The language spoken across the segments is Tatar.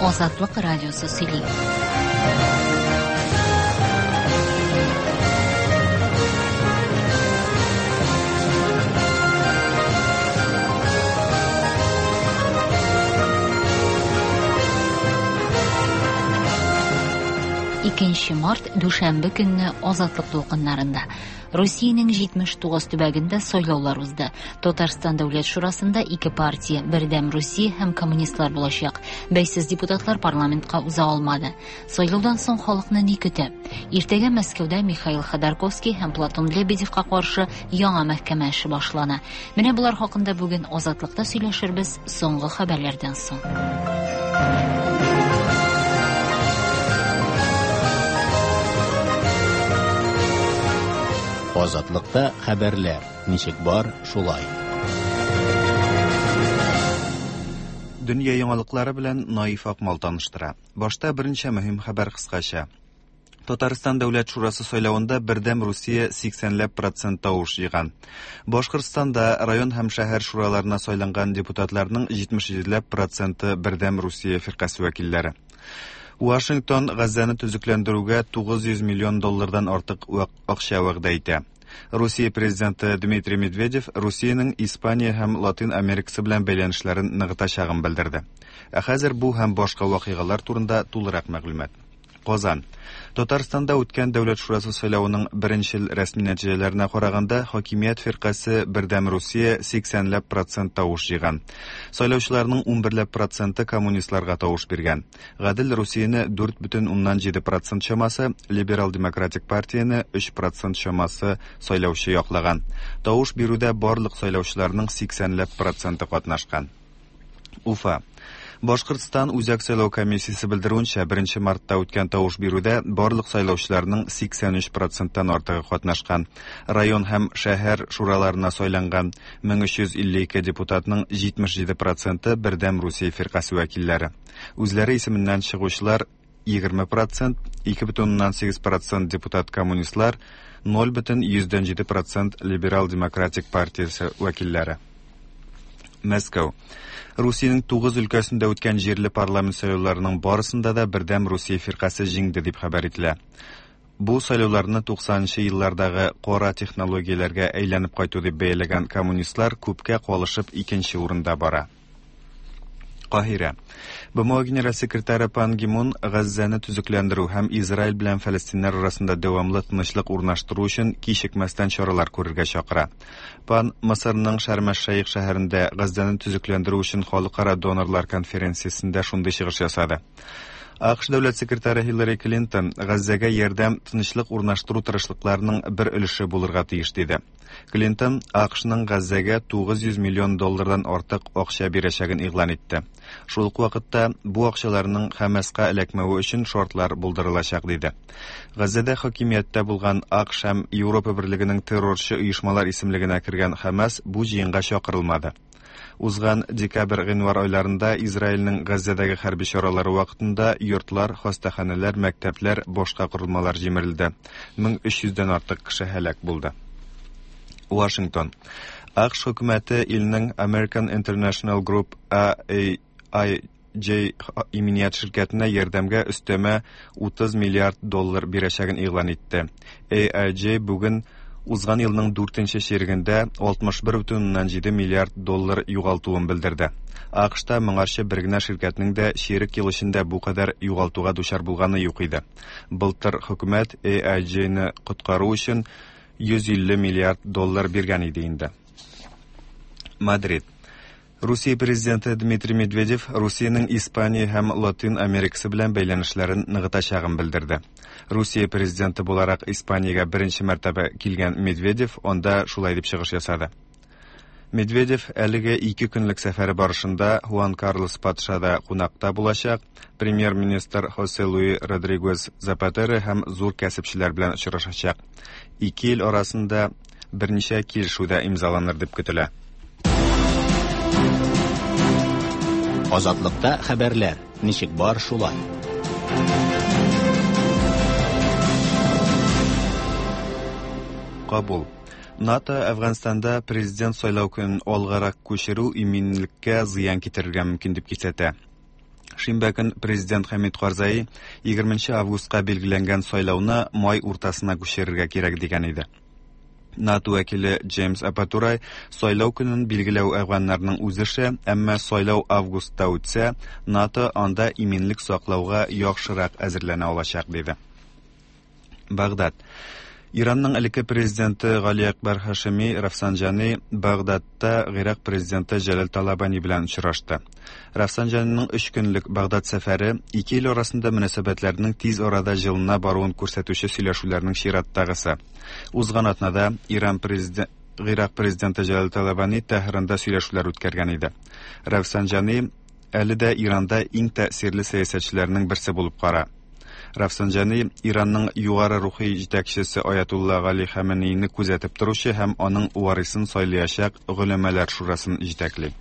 Азатлык радиосы сөйли. Икенче март, дүшәмбе көнне Азатлык дулкыннарында. Русиянең 79 төбәгендә сайлаулар узды. Татарстан Дәүләт Шурасында ике партия, Бердәм Русия һәм коммунистлар булачак. Бәйсез депутатлар парламентка уза алмады. Сайлаудан соң халыкны ни көтә? Иртәгә Мәскәүдә Михаил Ходорковский һәм Платон Лебедевка каршы яңа мәхкәмә эше башлана. Менә болар хакында бүген Азатлыкта сөйләшербез соңгы хәбәрләрдән соң. Азатлыкта хәбәрләр ничек бар, шулай. Дөнья яңалыклары белән Наиф Акмал таныштыра. Башта берничә мөһим хәбәр кыскача. Татарстан Дәүләт Шурасы сайлавында Бердәм Русия 80 ләп процент тавыш җыйган. Башкортстанда район һәм шәһәр шураларына сайланган депутатларның 77 ләп проценты Бердәм Русия фиркасе вәкилләре. Вашингтон Газзаны төзекләндерүгә 900 миллион доллардан артык акча вәгъдә итә. Русия президенты Дмитрий Медведев Русиянең Испания һәм Латин Америкасы белән бәйләнешләрен ныгытачагын белдерде. Ә хәзер бу һәм башка вакыйгалар турында тулырак мәгълүмат. Казан. Татарстанда үткән Дәүләт Шурасы сайлавының беренчел рәсми нәтиҗәләренә караганда, хакимият фиркасе Бердәм Русия 80 ләп процент тавыш җыйган. Сайлаучыларның 11 ләп проценты коммунистларга тавыш биргән. Гадел Русияне 4,7 процент чамасы, Либерал демократик партияне 3 процент чамасы сайлаучы яклаган. Тавыш бирүдә барлык сайлаучыларның 80 ләп проценты катнашкан. Уфа. Башкортстан Үзәк сайлау комиссиясе белдерүенчә, 1 мартта үткән тавыш бирүдә барлык сайлаучыларның 83 проценттан артыгы катнашкан. Район һәм шәһәр шураларына сайланган 1352 депутатның 77 проценты Бердәм Русия фиркасе вәкилләре. Үзләре исеменнән чыгучылар 20 процент, 2,8 процент депутат коммунистлар, 0,7 процент либерал-демократик партиясе вәкилләре. Мәскәү. Русиянең 9 өлкәсендә үткән җирле парламент сайлауларының барысында да Бердәм Русия фиркасе җиңде дип хәбәр ителә. Бу сайлауларны 90 нчы еллардагы кара технологияләргә әйләнеп кайту дип бәяләгән коммунистлар күпкә калышып икенче урында бара. Каһирә. БМО генераль секретаре Пан Ги Мун Газзәне төзекләндерү һәм Израиль белән фәлестиннәр арасында дәвамлы тынычлык урнаштыру өчен кичекмәстән чаралар күрергә чакыра. Пан Мысырның Шәрм-әш-Шәех шәһәрендә Газзәне төзекләндерү өчен халыкара донорлар конференциясендә шундый чыгыш ясады. АКШ дәүләт секретаре Хиллари Клинтон Газзәгә ярдәм тынычлык урнаштыру тырышлыкларының бер өлеше булырга тиеш диде. Клинтон АКШның Газзәгә 900 миллион доллардан артык акча бирәчәген игълан итте. Шул ук вакытта бу акчаларның Хәмаска эләкмәве өчен шартлар булдырылачак диде. Газзәдә хакимияттә булган АКШ һәм Европа Берлегенең террорчы оешмалар исемлегенә кергән Хәмас бу җыенга чакырылмады. Узган декабрь-гыйнвар айларында Израильнең Газзәдәге хәрби чаралары вакытында йортлар, хастаханәләр, мәктәпләр, башка корылмалар җимерелде. 1300 дән артык кеше һәлак булды. Вашингтон. АКШ хөкүмәте илнең American International Group AIG иминият ширкәтенә ярдәмгә өстәмә 30 миллиард доллар бирәчәген игълан итте. AIG бүген узган елның дүртенче чирегендә 61,7 миллиард доллар югалтуын белдерде. АКШта моңарчы бер генә ширкәтнең дә чирек ел эчендә бу кадәр югалтуга дучар булганы юк иде. Былтыр хөкүмәт AIG-ны коткару өчен 150 миллиард доллар биргән иде инде. Мадрид. Русия президенты Дмитрий Медведев Русиянең Испания һәм Латин Америкасы белән бәйләнешләрен ныгытачагын белдерде. Русия президенты буларак Испаниягә беренче мәртәбә килгән Медведев анда шулай дип чыгыш ясады. Медведев әлеге ике көнлек сәфәре барышында Хуан Карлос патшада кунакта булачак, премьер-министр Хосе Луи Родригес Запатеро һәм зур кәсепчеләр белән очрашачак. Ике ил арасында берничә килешү дә имзаланыр дип көтелә. Азатлыкта хәбәрләр ничек бар шулай. Кабул. НАТО Әфганстанда президент сайлау көнен алгарак күчерү иминлеккә зыян китерергә мөмкин дип кисәтә. Шимбә көн президент Хәмид Карзаи 20 августка билгеләнгән сайлауны май уртасына күчерергә кирәк дигән иде. НАТО вәкиле Джеймс Апатурай сайлау көнен билгеләү әфганнарның үз эше, әмма сайлау августта үтсә, НАТО анда иминлек саклауга яхшырак әзерләнә алачак, диде. Багдад. Иранның элекке президенты Гали Акбар Хашими Рафсанҗани Багдадта Гыйрак президенты Җәләл Талабани белән очрашты. Рафсанҗаниның өч көнлек Багдад сәфәре ике ил арасында мөнәсәбәтләрнең тиз арада җылына баруын күрсәтүче сөйләшүләрнең чираттагысы. Узган атнада Иран президенты Гыйрак президенты Җәләл Талабани Тәһранда сөйләшүләр үткәргән иде. Рафсанҗани әле дә Иранда иң тәэсирле сәясәтчеләрнең берсе булып кара. Рафсанҗани Иранның югары рухи җитәкчесе Аятулла Гали Хаменеине күзәтеп торучы һәм аның варисын сайлаячак голәмәләр шурасын җитәкли.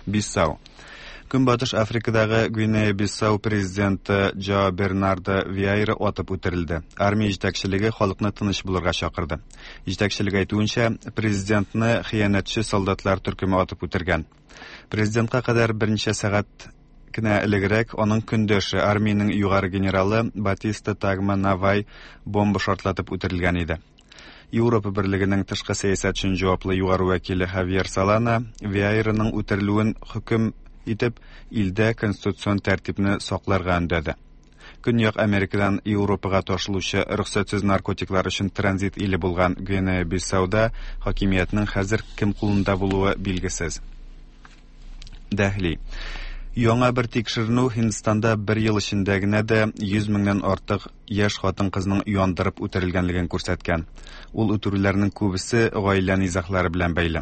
Биссау. Көнбатыш Африкадагы Гвинея-Биссау президенты Джо Бернардо Виайра атып үтерелде. Армия җитәкчелеге халыкны тыныч булырга чакырды. Җитәкчелек әйтүенчә, президентны хыянәтче солдатлар төркеме атып үтергән. Президентка кадәр берничә сәгать кенә элегрәк аның көндәше, армиянең югары генералы Батиста Тагма Навай бомба шартлатып үтерелгән иде. Европа берлегенең тышкы сәясәт өчен җаваплы югары вәкиле Хавьер Солана Виайраның үтерелүен хөкем итеп, илдә конституцион тәртипне сакларга өндәде. Көньяк Америкадан Европага ташылучы рөхсәтсез наркотиклар өчен транзит иле булган Гвинея-Биссауда хакимиятнең хәзер кем кулында булуы билгесез. Дәһли. Яңа бер тикшеренү Һиндстанда бер ел эчендә генә дә 100 меңнән артык яшь хатын-кызның яндырып үтерелгәнлеген күрсәткән. Ул үтерүләрнең күбесе гаилә низаглары белән бәйле.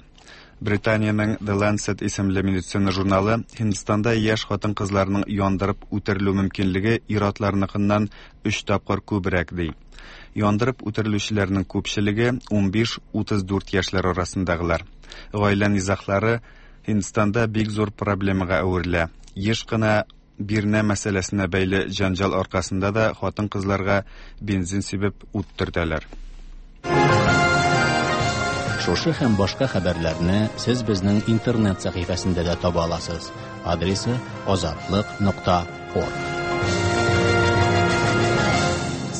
Британиянең The Lancet исемле медицина журналы Һиндстанда яшь хатын-кызларның яндырып үтерелү мөмкинлеге ир-атларныкыннан 3 тапкыр күбрәк ди. Яндырып үтерелүчеләрнең күпчелеге 15-34 яшьләр арасындагылар. Гаилә низаглары Һиндстанда бик зур проблемага әверелә. Еш кына бирнә мәсьәләсенә бәйле җәнҗал аркасында да хатын-кызларга бензин сибеп ут төртәләр. Шушы һәм башка хәбәрләрне сез безнең интернет сәхифәсендә дә таба аласыз. Адресы azatliq.org.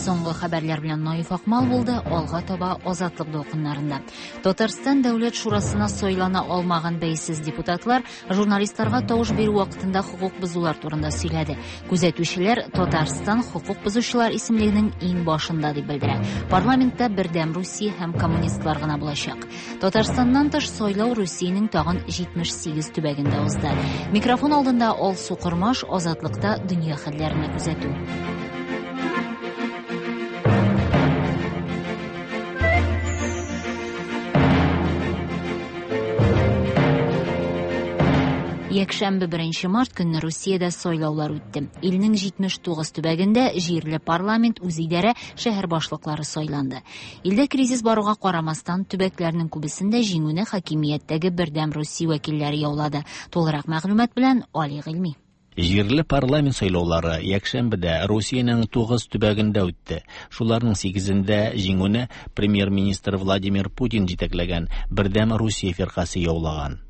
Соңгы хәбәрләр белән Наиф Акмал булды. Алга таба Азатлык дулкыннарында. Татарстан Дәүләт Шурасына сайлана алмаган бәйсез депутатлар журналистларга тавыш бирү вакытында хокук бозулар турында сөйләде. Күзәтүчеләр Татарстан хокук бозучылар исемлегенең иң башында дип белдерә. Парламентта Бердәм Русия һәм коммунистлар гына булачак. Татарстаннан тыш сайлау Русиянең тагын 78 төбәгендә узды. Микрофон алдында Алсу Кормаш, Азатлыкта дөнья хәлләренә күзәтү. Якшәмбе 1 март көнне Русиядә сайлаулар үтте. Илнең 79 төбәгендә җирле парламент, үзидарә, шәһәр башлыклары сайланды. Илдә кризис баруга карамастан, төбәкләрнең күбесендә җиңүне хакимияттәге Бердәм Русия вәкилләре яулады. Тулырак мәгълүмат белән Али Гыйльми. Җирле парламент сайлаулары якшәмбедә Русиянең 9 төбәгендә үтте. Шуларның 8-ендә җиңүне премьер-министр Владимир Путин җитәкләгән Бердәм Русия фиркасе яулаган.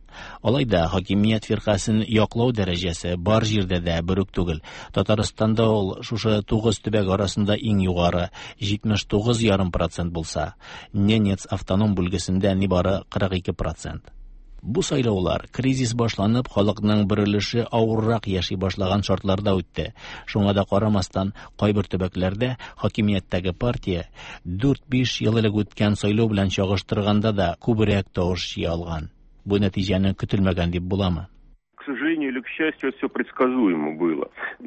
Алай да хакимият фиркасын яклау дәрәҗәсе бар җирдә дә бер үк түгел. Татарстанда ул шушы 9 төбәк арасында иң югары 79,5% булса, Ненец автоном бүлгесендә нибары 42%. Бу сайлаулар кризис башланып, халыкның бер өлеше авыррак яши башлаган шартларда үтте. Шуңа да карамастан, кайбер төбәкләрдә хакимияттәге партия 4-5 ел элек үткән сайлау белән чагыштырганда да күбрәк тавыш җыя алган. Бу нәтиҗәне көтелмәгән дип буламы? К сожалению или к счастью, все предсказуемо было.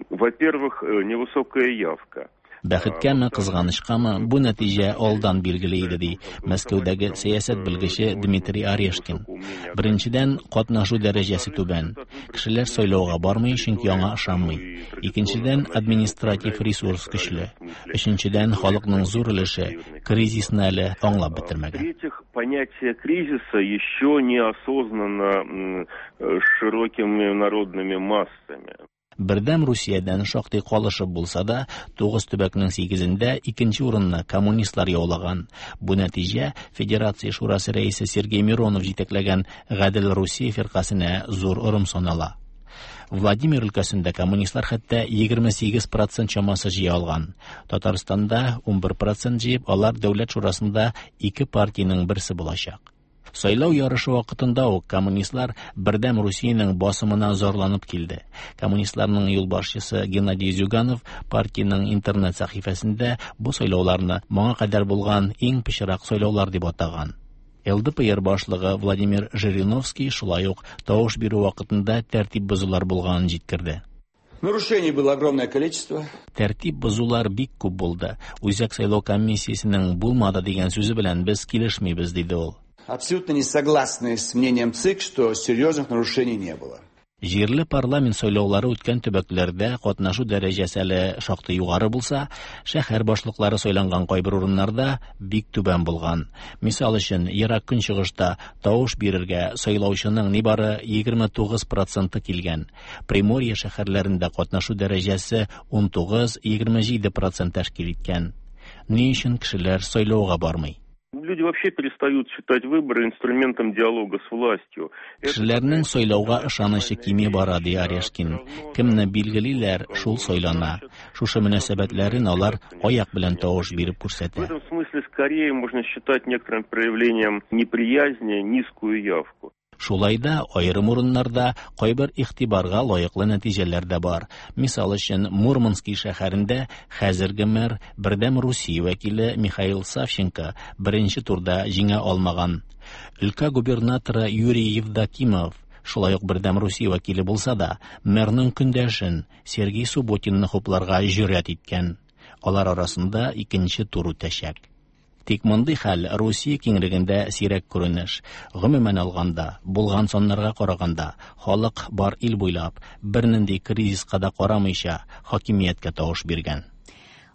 Во-первых, невысокая явка. Бәхеткәме, кызганычкамы, бу нәтиҗә алдан билгеле иде, ди Мәскәүдәге сәясәт белгече Дмитрий Орешкин. Беренчедән, катнашу дәрәҗәсе түбән. Кешеләр сайлауга бармый, чөнки аңа ышанмый. Икенчедән, административ ресурс көчле. Өченчедән, халыкның зур өлеше кризисны әле аңлап бетермәгән. В-третьих, понятие кризиса еще не осознанно широкими народными массами. Бердәм Русиядән шактый калышып булса да, 9 төбәкнең 8-ендә икенче урынны коммунистлар яулаган. Бу нәтиҗә Федерация Шурасы рәисе Сергей Миронов җитәкләгән Гадел Русия фиркасенә зур орым санала. Владимир өлкәсендә коммунистлар хәтта 28% чамасы җыя алган. Татарстанда 11% җыеп, алар Дәүләт шурасында ике партиянең берсе булачак. Сайлау ярышы вакытында ук коммунистлар Бердәм Русиянең басымына зарланып килде. Коммунистларның юлбашчысы Геннадий Зюганов партиянең интернет сәхифәсендә бу сайлауларны моңа кадәр булган иң пычрак сайлаулар дип атаган. ЛДПР башлыгы Владимир Жириновский шулай ук тавыш бирү вакытында тәртип бозулар булганын җиткерде. Нарушений было огромное количество. Тәртип бозулар бик күп булды. Үзәк сайлау комиссиясенең булмады дигән сүзе белән без килешмибез, диде ул. Абсолютно не согласны с мнением ЦИК, что серьезных нарушений не было. Җирле парламент сайлаулары үткән төбәкләрдә катнашу дәрәҗәсе әле шактый югары булса, шәһәр башлыклары сайланган кайбер урыннарда бик түбән булган. Мисал өчен, Ерак Көнчыгышта тавыш бирергә сайлаучының нибары 29% килгән. Приморье шәһәрләрендә катнашу дәрәҗәсе 19-27% тәшкил иткән. Ни өчен кешеләр сайлауга бармый? Люди вообще перестают считать выборы инструментом диалога с властью. Кешеләрнең сайлауга ышанычы кими бара, ди Орешкин. Кемне билгелиләр, шул сайлана. Шушы мөнәсәбәтләрен алар аяк белән тавыш биреп күрсәтә. В этом смысле скорее можно считать некоторым проявлением неприязни низкую явку. Шулай да аерым урыннарда кайбер игътибарга лаеклы нәтиҗәләр дә бар. Мисал өчен, Мурманский шәһәрендә хәзерге мэр Бердәм Русия вәкиле Михаил Савченко беренче турда җиңә алмаган. Өлкә губернаторы Юрий Евдокимов шулай ук Бердәм Русия вәкиле булса да, мэрның көндәшен Сергей Субботинны хупларга җөрьәт иткән. Алар арасында икенче тур үтәчәк. Тик мондый хәл Русия киңлегендә сирәк күренеш. Гомумән алганда, булган саннарга караганда, халык бар ил буйлап бернинди кризиска да карамыйча хакимияткә тавыш биргән.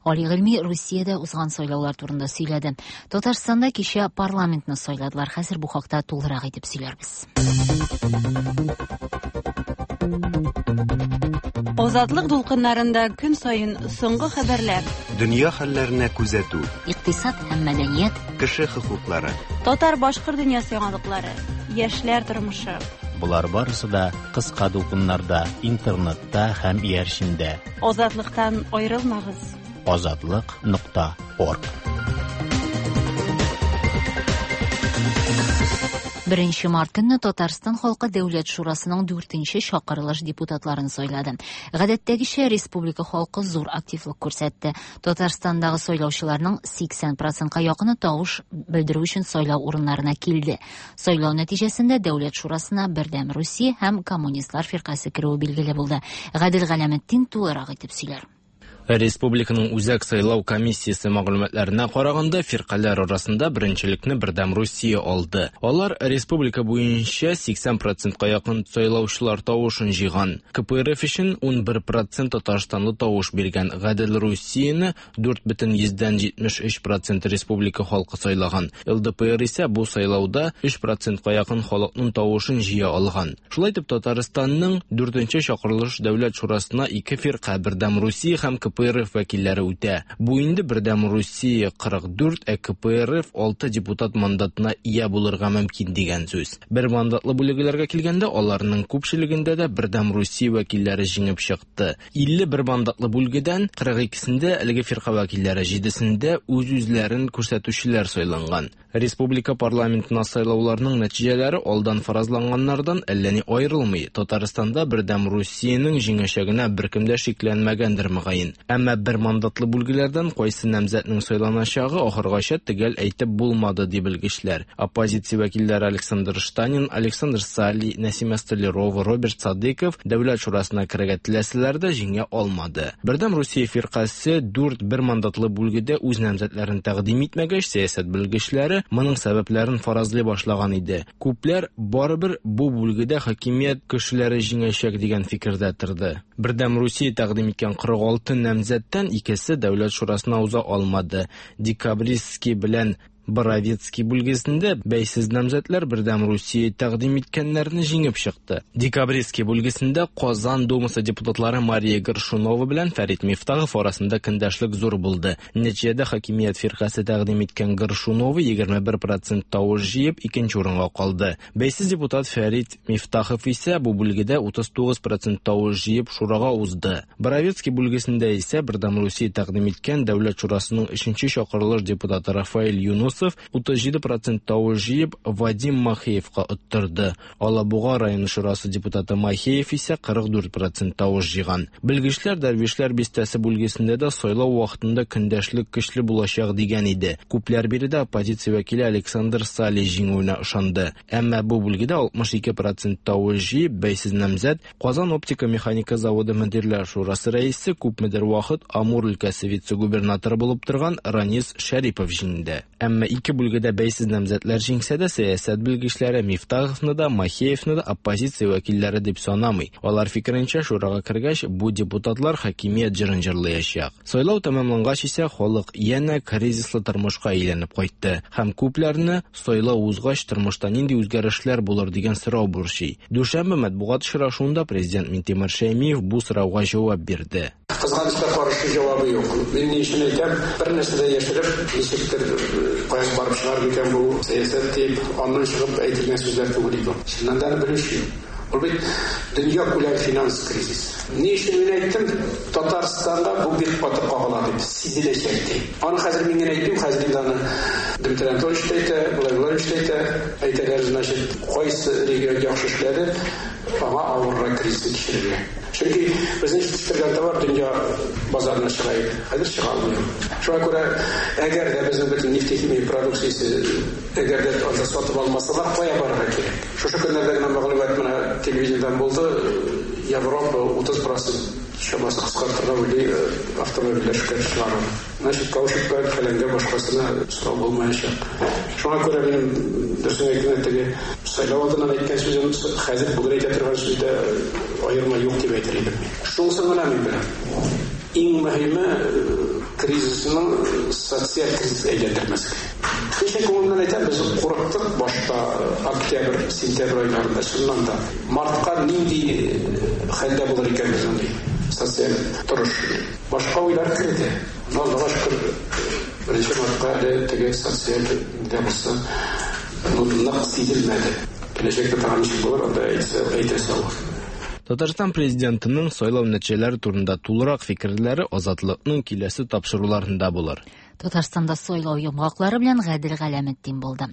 Гали Гыйльми Русиядә узган сайлаулар турында сөйләде. Татарстанда кичә парламентны сайладылар. Хәзер бу хакта тулырак итеп сөйләрбез. Азатлык дулкыннарында көн саен соңгы хәбәрләр. Дөнья хәлләренә күзәтү. Икътисад һәм мәдәният. Кеше хокуклары. Татар-башкорт дөньясы яңалыклары. Яшьләр тормышы. Болар барысы да кыска дулкыннарда, интернетта һәм иярчендә. Азатлыктан аерылмагыз. Азатлык.орг. 1 март көнне Татарстан халкы Дәүләт шурасының 4нче чакырылыш депутатларын сайлады. Гадәттәгечә республика халкы зур активлык күрсәтте. Татарстандагы сайлаучыларның 80%-ка якыны тавыш белдерү өчен сайлау урыннарына килде. Сайлау нәтиҗәсендә Дәүләт шурасына Бердәм Русия һәм Коммунистлар фиркасе керүе билгеле булды. Гадел Галәметдин тулырак итеп сөйләр. Республиканың Үзәк сайлау комиссиясе мәгълүматларына караганда, фиркаләр арасында беренчелекне Бердәм Русия алды. Алар республика буенча 80%-ка якын сайлаучылар тавышын җыйган. КПРФ өчен 11% татарстанлы тавыш биргән. Гадел Русияне 4,73% республика халкы сайлаган. ЛДПР исә бу сайлауда 3%-ка якын халыкның тавышын җыя алган. Шулай итеп, Татарстанның 4нче чакырылыш Дәүләт шурасына ике фирка Бердәм Русия һәм КПРФ вәкилләре үтә. Бу инде Бердәм Русия 44, ә КПРФ 6 депутат мандатына ия булырга мөмкин дигән сүз. Бер мандатлы бүлегеләргә килгәндә, аларның күпчелегендә дә Бердәм Русия вәкилләре җиңеп чыкты. 51 мандатлы бүлгедән 42-сендә әлеге фирка вәкилләре, 7-сендә үз-үзләрен күрсәтүчеләр сайланган. Республика парламентына сайлауларның нәтиҗәләре алдан фаразланганнардан әллә ни аерылмый. Татарстанда Бердәм Русиянең җиңәчәгенә беркем дә шикләнмәгәндер мөгаен. Әмма бер мандатлы бүлгеләрдән кайсы намзәтнең сайланачагы ахыргача төгәл әйтеп булмады, ди белгечләр. Оппозиция вәкилләре Александр Штанин, Александр Сали, Нәсимә Столярова, Роберт Садыков Дәүләт шурасына керергә теләсәләр дә җиңә алмады. Бердәм Русия фиркасе 4 бер мандатлы бүлгедә үз намзәтләрен тәкъдим итмәгәч, сәясәт белгечләре моның сәбәпләрен фаразлый башлаган иде. Күпләр барыбер бу бүлгедә хакимият кешеләре җиңәчәк дигән фикердә торды. Бердәм Русия тәкъдим иткән 46 намзәттән икесе Дәүләт шурасына уза алмады. Декабристский белән Боровецкий бүлгесендә бәйсез намзәтләр Бердәм Русия тәкъдим иткәннәрне җиңеп чыкты. Декабристский бүлгесендә Казан Думасы депутатлары Мария Горшунова белән Фәрит Мифтахов арасында көндәшлек зур булды. Нәтиҗәдә хакимият фиркасе тәкъдим иткән Горшунова 21% тавыш җыеп икенче урынга калды. Бәйсез депутат Фәрит Мифтахов исә бу бүлгедә 39% тавыш җыеп шурага узды. Боровецкий бүлгесендә исә Бердәм Русия тәкъдим иткән Дәүләт шурасының 3нче чакырылыш депутаты Рафаэль Юнусов 37% тавыш җыеп Вадим Махеевка оттырды. Алабуга районы шурасы депутаты Махеев исә 44% тавыш җыйган. Белгечләр Дәрвишләр бистәсе бүлгесендә дә сайлау вакытында көндәшлек көчле булачак дигән иде. Күпләр биредә оппозиция вәкиле Александр Сали җиңүенә ышанды. Әмма бу бүлгедә 62% тавыш җыеп бәйсез намзәт Казан оптика механика заводы мөдирләр шурасы рәисе күпмедер вакыт Амур өлкәсе вице-губернаторы булып торган Ранис Шәрипов җиңде. Әмма ике бүлгедә бәйсез намзәтләр җиңсә дә, сәясәт белгечләре Мифтаховны да, Махеевны да оппозиция вәкилләре дип санамый. Алар фикеренчә, шурага кергәч, бу депутатлар хакимият җырын җырлаячак. Сайлау тәмамлангач исә халык янә кризислы тормышка әйләнеп кайтты һәм күпләрне сайлау узгач тормышта нинди үзгәрешләр булыр дигән сорау борчый. Дүшәмбе матбугат очрашуында президент Минтимер Шәймиев бу сорауга җавап бирде. Кызганычка каршы җавабы юк. Мин ни өчен әйтәм, бер нәрсә дә яшереп, ничектер кая барып чыгар микән бу сәясәт дип, аннан чыгып әйтелгән сүзләр түгел иде. Чыннан да белүче юк. Ул бит дөнья күләм финанс кризис. Ни өчен мин әйттем, Татарстанда бу бик каты кагыла дип, сизеләчәк дип. Аны хәзер мин генә әйтмим, хәзер инде аны Дмитрий Анатольевич та әйтә, Былай Владимирович та әйтә. Әйтәләр, значит, кайсы регион яхшы эшләде, аңа авыррак кризисны кичерергә. Чөнки безнең җитештергән товар дөнья базарына чыга иде. Хәзер чыга алмый. Шуңа күрә, әгәр дә безнең бөтен нефтехимия продукциясе әгәр дә анда сатып алмасалар, кая барырга кирәк? Шушы көннәрдә генә мәгълүмат менә телевидениедән булды, Европа 30% чамасы кыскартырга уйлый автомобильләр эшкә чыгаруны. Значит, каучукка, фәләнгә башкасына сорау булмаячак. Шуңа күрә минем дөресен әйткәндә теге сайлау алдыннан әйткән сүзем хәзер бүген әйтә торган сүздә аерма юк дип әйтер идем. Шунысын гына мин беләм. Иң мөһиме кризисның социаль кризис әйләндермәскә. Кеше күңеленнән әйтәм, без курыктык башта октябрь, сентябрь айларында, чыннан да. Мартка нинди хәлдә булыр икән безнең социаль торыш. Башка уйлар керде. Но Аллага шөкер, беренче мартка әле теге социаль дә булса, нык сизелмәде. Киләчәктә тагын ничек булыр, анда әйтәсе авыр. Татарстан президентының сайлау нәтиҗәләре турында тулырак фикерләре Азатлыкның киләсе тапшыруларында булыр. Татарстанда сайлау йомгаклары белән Гадел Галәметдин булды.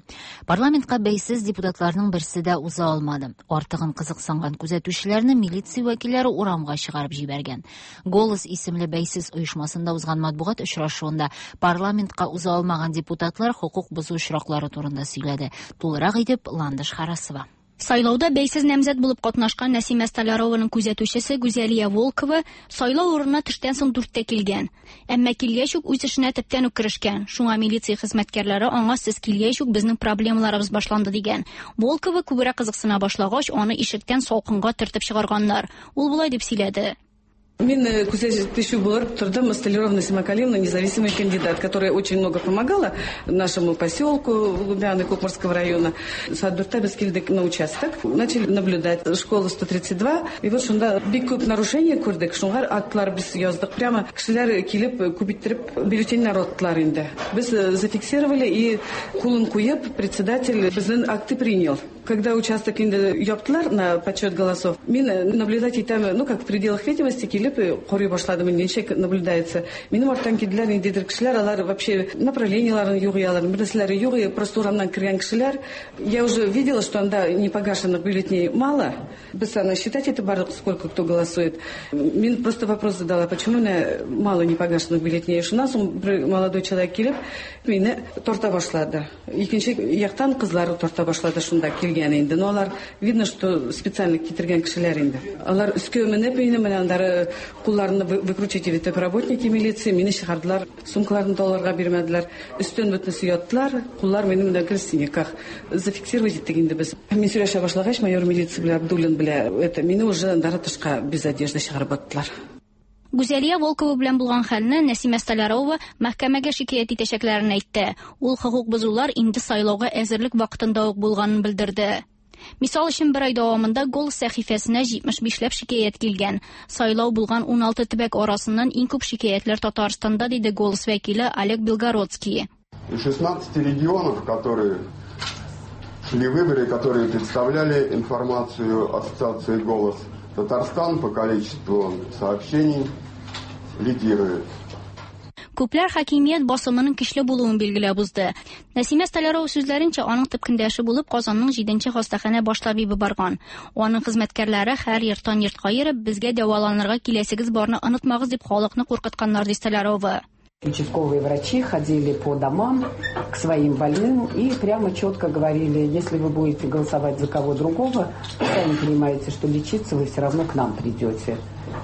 Парламентка бәйсез депутатларның берсе дә уза алмады. Артыгын кызыксынган күзәтүчеләрне милиция вәкилләре урамга чыгарып җибәргән. Голос исемле бәйсез оешмасында узган матбугат очрашуында парламентка уза алмаган депутатлар хокук бозу очраклары турында сөйләде. Тулырак итеп Ландыш Харасова. Сайлауда бәйсез намзәт булып катнашкан Нәсимә Столярованың күзәтүчесе Гүзәлия Волкова сайлау урынына төштән соң 4-тә килгән. Әмма килгәч үк үз эшенә төптән үк керешкән. Шуңа милиция хезмәткәрләре аңа сез килгәч үк безнең проблемаларыбыз башланды дигән. Волкова күбрәк кызыксына башлагач, аны ишектән салкынга төртеп чыгарганнар. Ул болай дип сөйләде. Мин күзәтүче булып тордым Столярова Насима Калимовна, независимый кандидат, которая очень много помогала нашему поселку Лубяны Кукморского района. Сәгать дүрттә без килдек на участок, начали наблюдать школу 132. И вот шунда бик күп нарушение күрдек. Шуңа актлар без яздык. Прямо кешеләр килеп, күп иттереп бюллетеньнәр аттылар инде. Без зафиксировали и кулын куеп, председатель безнең акты принял. Когда участок инде яптылар на подсчет голосов, мин наблюдать итәм, ну, как в пределах видимости килеп карый башладым, ничек наблюдается. Минем арттан килделәр ниндидер кешеләр, алар вообще направлениеларын юк, алар бер нәрсәләре юк, просто урамнан кергән кешеләр. Я уже видела, что анда непогашенных бюллетеней мало. Без аны считать это бардык, сколько кто голосует. Мин просто вопрос задала, почему у меня мало непогашенных бюллетеней. Шуннан соң бер молодой человек килеп, мине тарта башлады. Икенче яктан кызлар тарта башлады шунда килгән инде. Но алар видно, что специально китергән кешеләр инде. Алар өскә менеп, мине менә аннары кулларны выкручивать итеп работники милиции, мине чыгардылар, сумкаларын да аларга бирмәделәр. Өстен бөтенесе яттылар, куллар минем менә гел синяках. Зафиксировать иттек инде без. Мин сөйләшә башлагач, майор милиция белән Абдуллин белән, это мине уже аннары тышка без одежды чыгарып аттылар. Гүзәлия Волкова белән булган хәлне Нәсимә Столярова мәхкәмәгә шикаять итәчәкләрен әйтте. Ул хокук бозулар инде сайлауга әзерлек вакытында ук булганын белдерде. Мисал өчен, бер ай дәвамында Голос сәхифәсенә 75 ләп шикаять килгән. Сайлау булган 16 төбәк арасыннан иң күп шикаятьләр Татарстанда, диде Голос вәкиле Олег Белгородский. Из 16 регионов, которые шли выборы, которые представляли информацию ассоциации «Голос», Татарстан по количеству сообщений лидирует. Күпләр хакимият басымының көчле булуын билгеләп узды. Нәсимә Столярова сүзләренчә, аның төп көндәше булып Казанның 7нче хастаханә баш табибы барган. Аның хезмәткәрләре һәр йорттан йортка йөреп, безгә дәваланырга киләсегез барны онытмагыз дип халыкны куркытканнар, ди Столярова. Участковые врачи ходили по домам к своим больным и прямо четко говорили, если вы будете голосовать за кого другого, сами понимаете, что лечиться вы все равно к нам придете.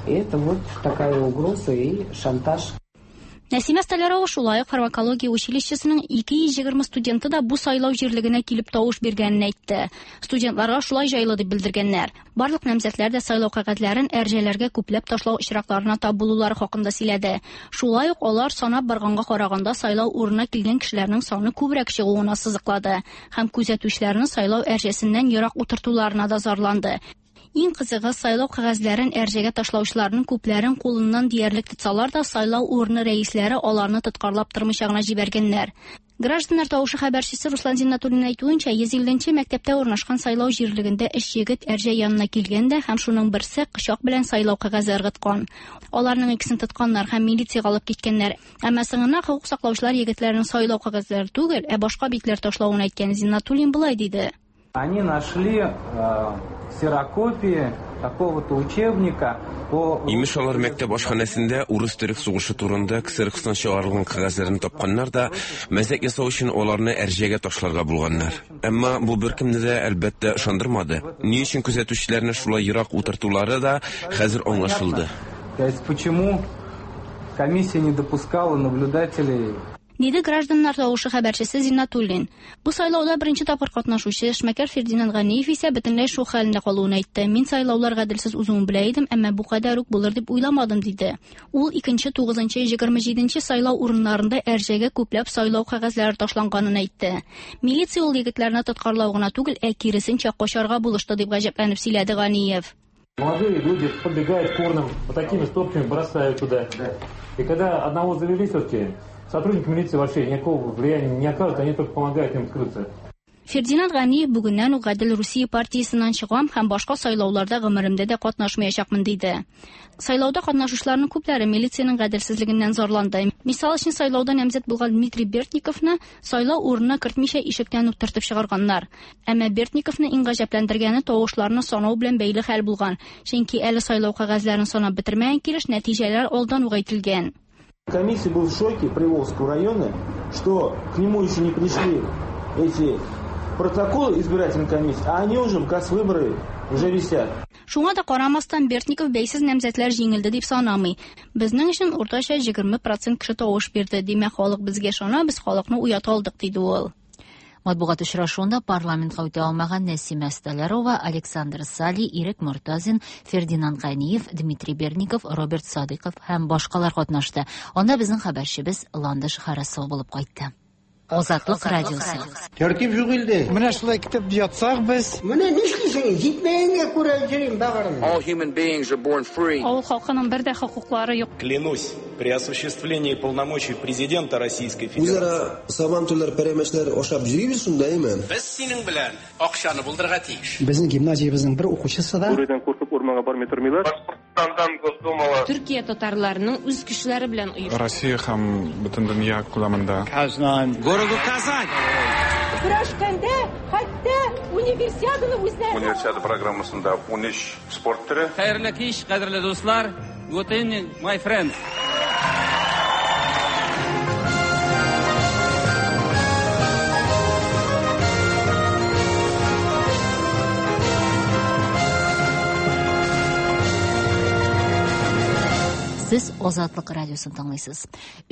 И это вот такая угроза и шантаж. Нәсимә Столярова шулай ук фармакология училищесының 220 студенты да бу сайлау җирлегенә килеп тавыш биргәнен әйтте. Студентларга шулай җайлы дип белдергәннәр. Барлык намзәтләр дә сайлау кәгазьләрен әрҗәләргә күпләп ташлау очракларына тап булулары хакында сөйләде. Шулай ук алар санап барганга караганда сайлау урынына килгән кешеләрнең саны күбрәк чыгуын ассызыклады һәм күзәтүчеләрне сайлау әрҗәсеннән ерак утыртуларына да зарланды. Иң кызыгы, сайлау кәгазьләрен әрҗәгә ташлаучыларның күпләрен кулыннан диярлек тотсалар да, сайлау урыны рәисләре аларны тоткарлап тормыйча гына җибәргәннәр. Гражданнар тавышы хәбәрчесе Руслан Зиннатуллин әйтүенчә, 150нче мәктәптә урнашкан сайлау җирлегендә өч егет әрҗә янына килгән дә һәм шуның берсе кочак белән сайлау кәгазе ыргыткан. Аларның икесен тотканнар һәм милициягә алып киткәннәр. Әмма соңыннан хокук саклаучылар егетләрнең сайлау кәгазьләре түгел, ә башка битләр ташлавын әйткән. Зиннатуллин болай диде. Они нашли ксерокопии какого-то учебника по... Имеш, алар мәктәп ашханәсендә урыс-төрек сугышы турында ксерокстан чыгарылган кәгазьләрне тапканнар да, мәзәк ясау өчен аларны әрҗәгә ташларга булганнар. Әмма бу беркемне дә, әлбәттә, ышандырмады. Ни өчен күзәтүчеләрне шулай ерак утыртулары да хәзер аңлашылды. То есть почему комиссия не допускала наблюдателей? Диде гражданнар тавышы хәбәрчесе Зиннатуллин. Бу сайлауда беренче тапкыр катнашучы эшмәкәр Фердинанд Ганиев исә бөтенләй шок хәлендә калуын әйтте. Мин сайлаулар гаделсез узуын белә идем, әмма бу кадәр үк булыр дип уйламадым, диде. Ул 2-нче, 9-нчы, 27-нче сайлау урыннарында әрҗәгә күпләп сайлау кәгазьләре ташланганын әйтте. Милиция ул егетләрне тоткарлау гына түгел, ә киресенчә качарга булышты, дип гаҗәпләнеп сөйләде Ганиев. Молодые люди подбегают к урнам, вот такими стопками бросают туда. И когда одного завели все-таки, сотрудники милиции вообще никакого влияния не окажут, они только помогают им скрыться. Фердинанд Ганиев бүгеннән үк Гадел Русия партиясеннән чыгам һәм башка сайлауларда гомеремдә дә катнашмаячакмын, диде. Сайлауда катнашучыларның күпләре милициянең гаделсезлегеннән зарланды. Мисал өчен, сайлауда намзәт булган Дмитрий Бертниковны сайлау урынына кертмичә ишектән үк тартып чыгарганнар. Әмма Бертниковны иң гаҗәпләндергәне тавышларны санау белән бәйле хәл булган. Чөнки әле сайлау кәгазьләрен санап бетермәгән килеш нәтиҗәләр алдан ук әйтелгән. Комиссия был в шоке Приволжского района, что к нему еще не пришли эти протоколы избирательной комиссии, а они уже в выборы уже висят. Шуңа да карамастан Бертников бәйсез намзәтләр җиңелде дип санамый. Безнең өчен уртача 20% кеше тавыш бирде. Димәк, халык безгә ышана, без халыкны уята алдык, диде ул. Матбугат очрашуында парламентка үтә алмаган Нәсимә Столярова, Александр Сали, Ирек Мортазин, Фердинанд Ганиев, Дмитрий Берников, Роберт Садыков һәм башкалар катнашты. Анда безнең хәбәрчебез Ландыш Харасова булып кайтты. Азатлык радиосы. Тәртип юк илдә. Менә шулай китеп ятсак без. Менә нишлисең? Җитмәгәнгә күрә йөрим багырым. All human beings are born free. Авыл халкының бер дә хокуклары юк. Клянусь, при осуществлении полномочий президента Российской Федерации. Үзара сабантуйлар, пәрәмәчләр ашап йөрибез шунда, әйме? Без синең белән акчаны булдырырга тиеш. Безнең гимназиябезнең бер укучысы да Бүредән куркып урманга бармый тормыйлар. Башкортстандан Госдумага. Төркия татарларының үз көчләре белән оештырган. Россия һәм бөтен дөнья күләмендә. Казан. Городу Казань. Көрәшкәндә хәтта универсиаданы үзләре. Универсиада программасында 13 спорт төре. Хәерле кич, кадерле дуслар. Good evening, my friends. Сез Сез Азатлык радиосын тыңлыйсыз.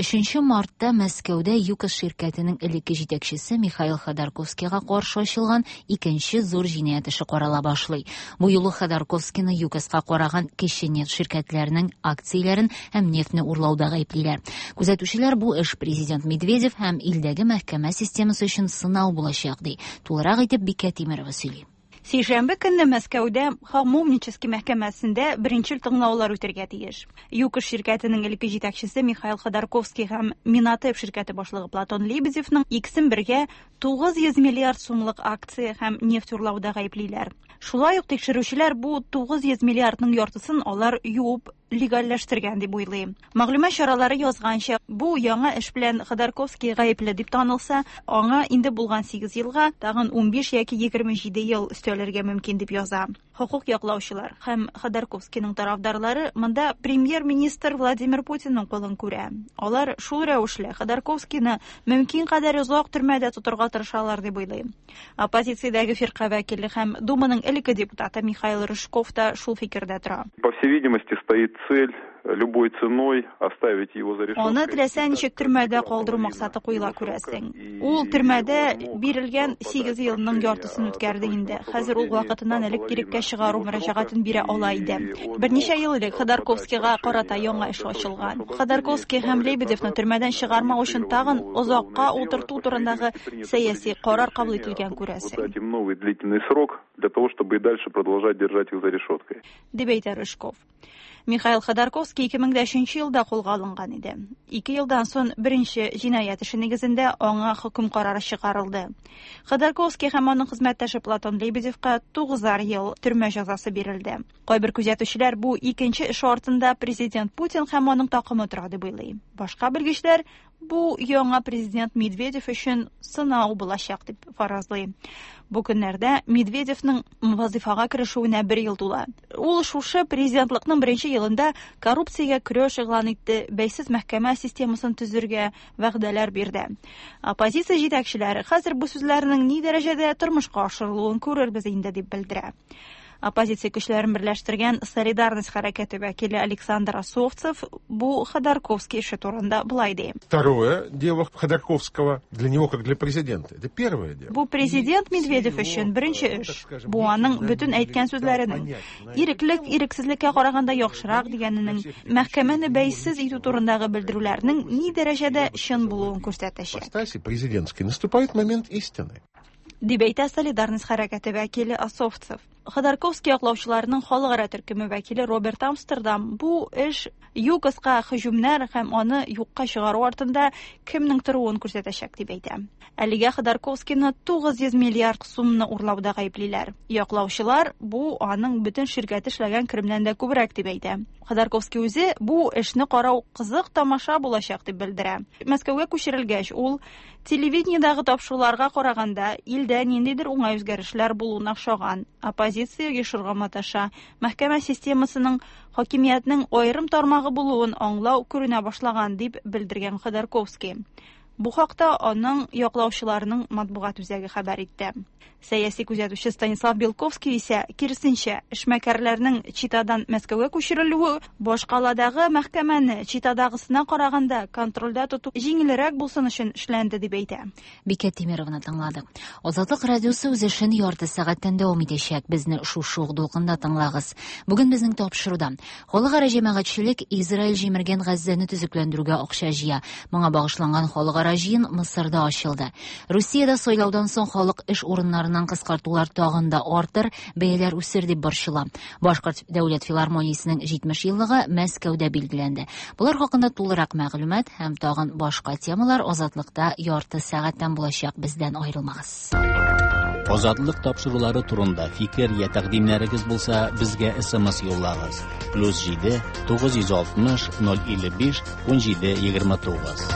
3 мартта Мәскәүдә ЮКОС ширкәтенең элекке җитәкчесе Михаил Ходорковскийга каршы ачылган икенче зур җинаять эше карала башлый. Бу юлы Ходорковскийны ЮКОСка караган кече нефть ширкәтләренең акцияләрен һәм нефтьне урлауда гаеплиләр. Күзәтүчеләр бу эш президент Медведев һәм илдәге мәхкәмә системасы өчен сынау булачак ди. Тулырак итеп Бикә Тимерова сөйли. Сишәмбе көнне Мәскәүдә Хамовнический мәхкәмәсендә беренчел тыңлаулар үтәргә тиеш. ЮКОС ширкәтенең элекке җитәкчесе Михаил Ходорковский һәм Минатеп ширкәте башлыгы Платон Лебедевның икесен бергә 900 миллиард сумлык акция һәм нефть урлауда гаеплиләр. Шулай ук тикшерүчеләр бу 900 миллиардның яртысын алар юып легальләштергән дип уйлый. Мәгълүмат чаралары язганча, бу яңа эш белән Ходорковский гаепле дип танылса, аңа инде булган 8 елга тагын 15 яки 27 ел өстәлергә мөмкин дип яза. Хокук яклаучылар һәм Ходорковскийның тарафдарлары монда премьер-министр Владимир Путинның кулын күрә. Алар шул рәвешле Ходорковскийны мөмкин кадәр озак төрмәдә тотырга тырышалар дип уйлый. Оппозициядәге фирка вәкиле һәм Думаның элекке депутаты Михаил Рыжков та шул фикердә тора. По всей видимости, стоит цель любой ценой оставить его за решеткой. Аны теләсә ничек төрмәдә калдыру максаты куела, күрәсең. Ул төрмәдә бирелгән 8 елның яртысын үткәрде инде. Хәзер ул вакытыннан элек иреккә чыгару мөрәҗәгатен бирә ала иде. Берничә ел элек Ходорковскийга карата яңа эш ачылган. Ходорковский һәм Лебедевны төрмәдән чыгармау өчен тагын озакка утырту турындагы сәяси карар кабул ителгән, күрәсең. Дать им новый длительный срок для того, чтобы и дальше продолжать держать их за решеткой. Дип әйтә Рыжков. Михаил Ходорковский 2003 елда кулга алынган иде. Ике елдан соң беренче җинаять эше нигезендә аңа хөкем карары чыгарылды. Ходорковский һәм аның хезмәттәше Платон Лебедевка 9 ел төрмә җәзасы бирелде. Кайбер күзәтүчеләр бу икенче эш артында президент Путин һәм аның такымы тора дип уйлый. Башка белгечләр бу яңа президент Медведев өчен сынау булачак дип фаразлый. Бу көннәрдә Медведевның вазифага керешүенә бер ел тула. Ул шушы президентлыкның беренче елында коррупциягә көрәш игълан итте, бәйсез мәхкәмә системасын төзергә вәгъдәләр бирде. Оппозиция җитәкчеләре хәзер бу сүзләрнең ни дәрәҗәдә тормышка ашырылуын күрербез инде дип белдерә. Оппозиция көчләрен берләштергән Солидарность хәрәкәте вәкиле Александр Осовцев бу Ходорковский эше турында болай ди. Второе дело Ходорковского для него как для президента. Это первое дело. Бу президент Медведев өчен беренче эш. Бу аның бөтен әйткән сүзләренең иреклек ирексезлеккә караганда яхшырак дигәненең, мәхкәмәне бәйсез итү турындагы белдерүләрнең ни дәрәҗәдә чын булуын күрсәтәчәк. Президентский наступает момент истины. Дип әйтә Солидарность хәрәкәте вәкиле Осовцев. Ходорковский яклаучыларының халыкара төркеме вәкиле Роберт Амстердам бу эш ЮКОСка һөҗүмнәр һәм аны юкка чыгару артында кемнең торуын күрсәтәчәк дип әйтә. Әлегә Ходорковскийны 900 миллиард сумны урлауда гаеплиләр. Яклаучылар бу аның бөтен ширкәте эшләгән керемнән дә күбрәк дип әйтә. Ходорковский үзе бу эшне карау кызык тамаша булачак дип белдерә. Мәскәүгә күчерелгәч, ул телевидениедагы тапшыруларга караганда илдә ниндидер уңай үзгәрешләр булуына охшаган. Оппозиция оешырга маташа. Мәхкәмә системасының хакимиятнең аерым тармагы булуын аңлау күренә башлаган дип белдергән Ходорковский. Бу хакта аның яклаучыларының матбугат үзәге хәбәр итте. Сәяси күзәтүче Станислав Белковский исә киресенчә, эшмәкәрләрнең Читадан Мәскәүгә күчерелүе башкаладагы мәхкәмәне Читадагысына караганда контрольдә тоту җиңелрәк булсын өчен эшләнде дип әйтә. Бикә Тимерованы тыңладык. Азатлык радиосы үз эшен ярты сәгатьтән дәвам итәчәк. Безне шушы ук дулкында тыңлагыз. Бүген безнең тапшыруда халыкара җәмәгатьчелек Израиль җимергән Газзәне төзекләндерүгә акча җыя. Моңа багышланган халыкара җыен Мысырда ачылды. Русиядә сайлаудан соң халык эш урыннарыннан кыскартулар тагын да артыр, бәяләр үсер дип борчыла. Башкорт дәүләт филармониясенең 70 еллыгы Мәскәүдә билгеләнде. Булар хакында тулырак мәгълүмат һәм тагын башка темалар Азатлыкта ярты сәгатьтән булачак. Бездән аерылмагыз. Азатлык тапшырулары турында фикер я тәкъдимнәрегез булса, безгә SMS юллагыз. +7 960 055 17 29.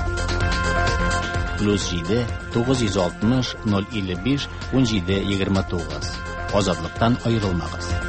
+7 960 055 17 29. Азатлыктан аерылмагыз.